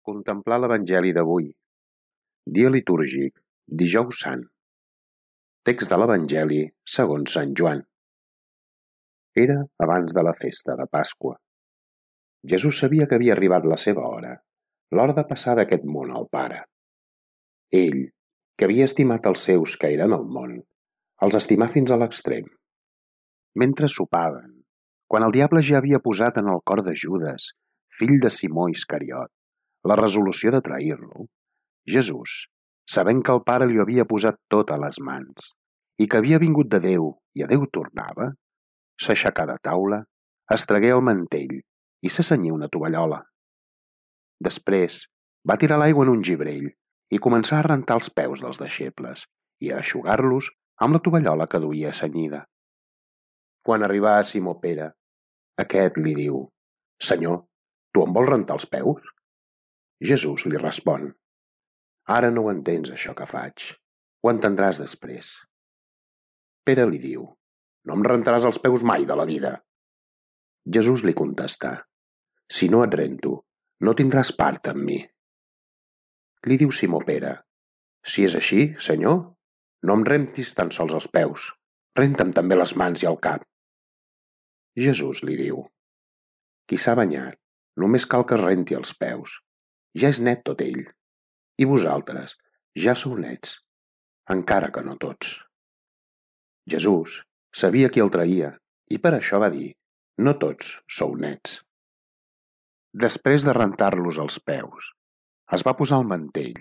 Contemplar l'Evangeli d'avui. Dia litúrgic, Dijous Sant. Text de l'Evangeli segons Sant Joan. Era abans de la festa de Pasqua. Jesús sabia que havia arribat la seva hora, l'hora de passar d'aquest món al Pare. Ell, que havia estimat els seus que eren al món, els estimà fins a l'extrem. Mentre sopaven, quan el diable ja havia posat en el cor de Judes, fill de Simó Iscariot, la resolució de trair-lo, Jesús, sabent que el Pare li havia posat tot a les mans i que havia vingut de Déu i a Déu tornava, s'aixecà de taula, es tragué el mantell i se cenyí una tovallola. Després va tirar l'aigua en un gibrell i començà a rentar els peus dels deixebles i a eixugar-los amb la tovallola que duia cenyida. Quan arribà a Simó Pere, aquest li diu: «Senyor, tu em vols rentar els peus?» Jesús li respon: «Ara no ho entens, això que faig. Ho entendràs després». Pere li diu: «No em rentaràs els peus mai de la vida». Jesús li contestà: «Si no et rento, no tindràs part amb mi». Li diu Simó Pere: «Si és així, Senyor, no em rentis tan sols els peus, renta'm també les mans i el cap». Jesús li diu: «Qui s'ha banyat, només cal que es renti els peus. Ja és net tot ell. I vosaltres ja sou nets, encara que no tots». Jesús sabia qui el traïa i per això va dir: «No tots sou nets». Després de rentar-los els peus, es va posar el mantell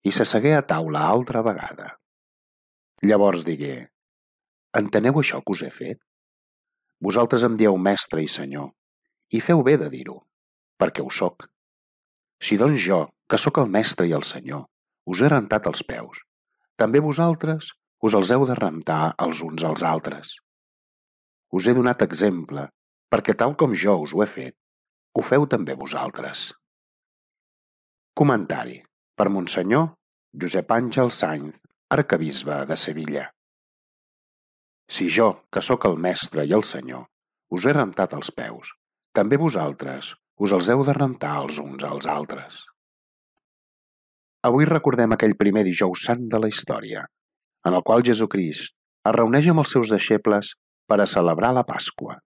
i s'assegué a taula altra vegada. Llavors digué: «Enteneu això que us he fet? Vosaltres em dieu mestre i senyor, i feu bé de dir-ho, perquè ho soc. Si doncs jo, que sóc el mestre i el senyor, us he rentat els peus, també vosaltres us els heu de rentar els uns als altres. Us he donat exemple, perquè tal com jo us ho he fet, ho feu també vosaltres». Comentari per Monsenyor Josep Àngel Sainz, arquebisbe de Sevilla. Si jo, que sóc el mestre i el senyor, us he rentat els peus, també vosaltres us els heu de rentar els uns als altres. Avui recordem aquell primer Dijous Sant de la història, en el qual Jesucrist es reuneix amb els seus deixebles per a celebrar la Pasqua.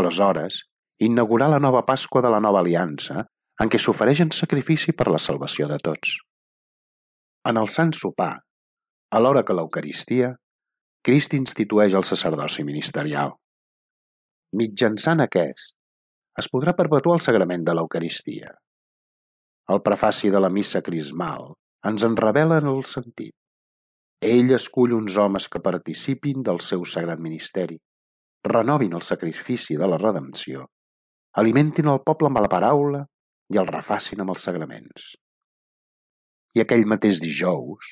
Aleshores, inaugurà la nova Pasqua de la nova aliança, en què s'ofereix en sacrifici per la salvació de tots. En el Sant Sopar, alhora que l'Eucaristia, Crist institueix el sacerdoci ministerial. Mitjançant aquest, es podrà perpetuar el sagrament de l'Eucaristia. El prefaci de la missa crismal ens en revela el sentit. Ell escull uns homes que participin del seu sagrat ministeri, renovin el sacrifici de la redempció, alimentin el poble amb la paraula i el refacin amb els sagraments. I aquell mateix dijous,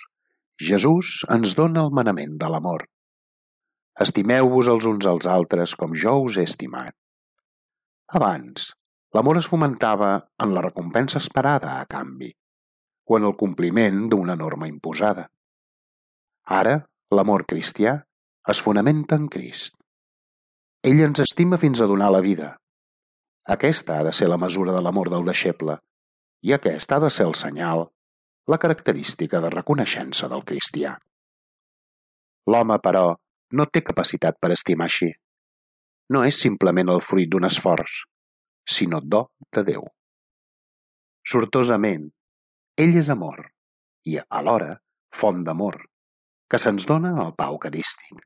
Jesús ens dona el manament de l'amor. Estimeu-vos els uns als altres com jo us he estimat. Abans, l'amor es fomentava en la recompensa esperada a canvi, o en el compliment d'una norma imposada. Ara, l'amor cristià es fonamenta en Crist. Ell ens estima fins a donar la vida. Aquesta ha de ser la mesura de l'amor del deixeble, i aquest ha de ser el senyal, la característica de reconeixença del cristià. L'home, però, no té capacitat per estimar així. No és simplement el fruit d'un esforç, sinó do de Déu. Sortosament, ell és amor i, alhora, font d'amor, que se'ns dona al pa eucarístic.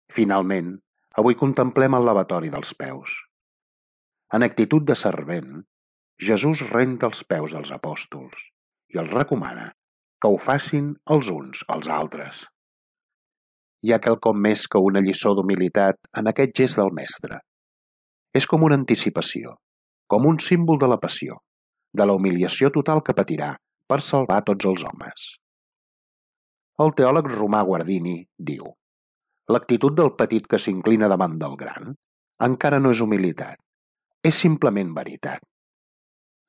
Finalment, avui contemplem el lavatori dels peus. En actitud de servent, Jesús renta els peus dels apòstols i els recomana que ho facin els uns als altres. Hi ha quelcom més que una lliçó d'humilitat en aquest gest del mestre. És com una anticipació, com un símbol de la passió, de la humiliació total que patirà per salvar tots els homes. El teòleg romà Guardini diu: l'actitud del petit que s'inclina davant del gran encara no és humilitat, és simplement veritat.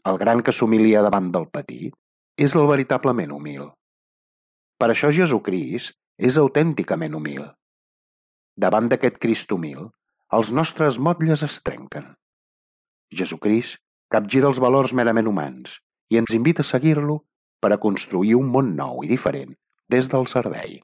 El gran que s'humilia davant del petit és el veritablement humil. Per això Jesucrist és autènticament humil. Davant d'aquest Crist humil, els nostres motlles es trenquen. Jesucrist capgira els valors merament humans i ens invita a seguir-lo per a construir un món nou i diferent des del servei.